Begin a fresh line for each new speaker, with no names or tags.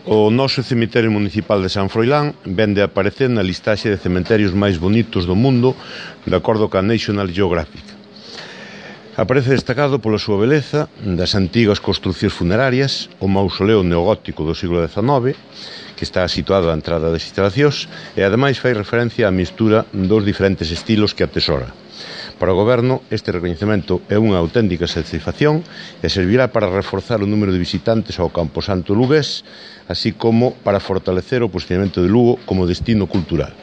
O noso cemiterio municipal de San Froilán vende a aparecer na listaxe de cementerios máis bonitos do mundo de acordo ca National Geographic. Aparece destacado pola súa beleza das antigas construcións funerarias, o mausoleo neogótico do siglo XIX, que está situado á entrada das instalacións, e ademais fai referencia á mistura dos diferentes estilos que atesora. Para o Goberno, este recoñecemento é unha auténtica satisfacción e servirá para reforzar o número de visitantes ao Camposanto lugués, así como para fortalecer o posicionamento de Lugo como destino cultural.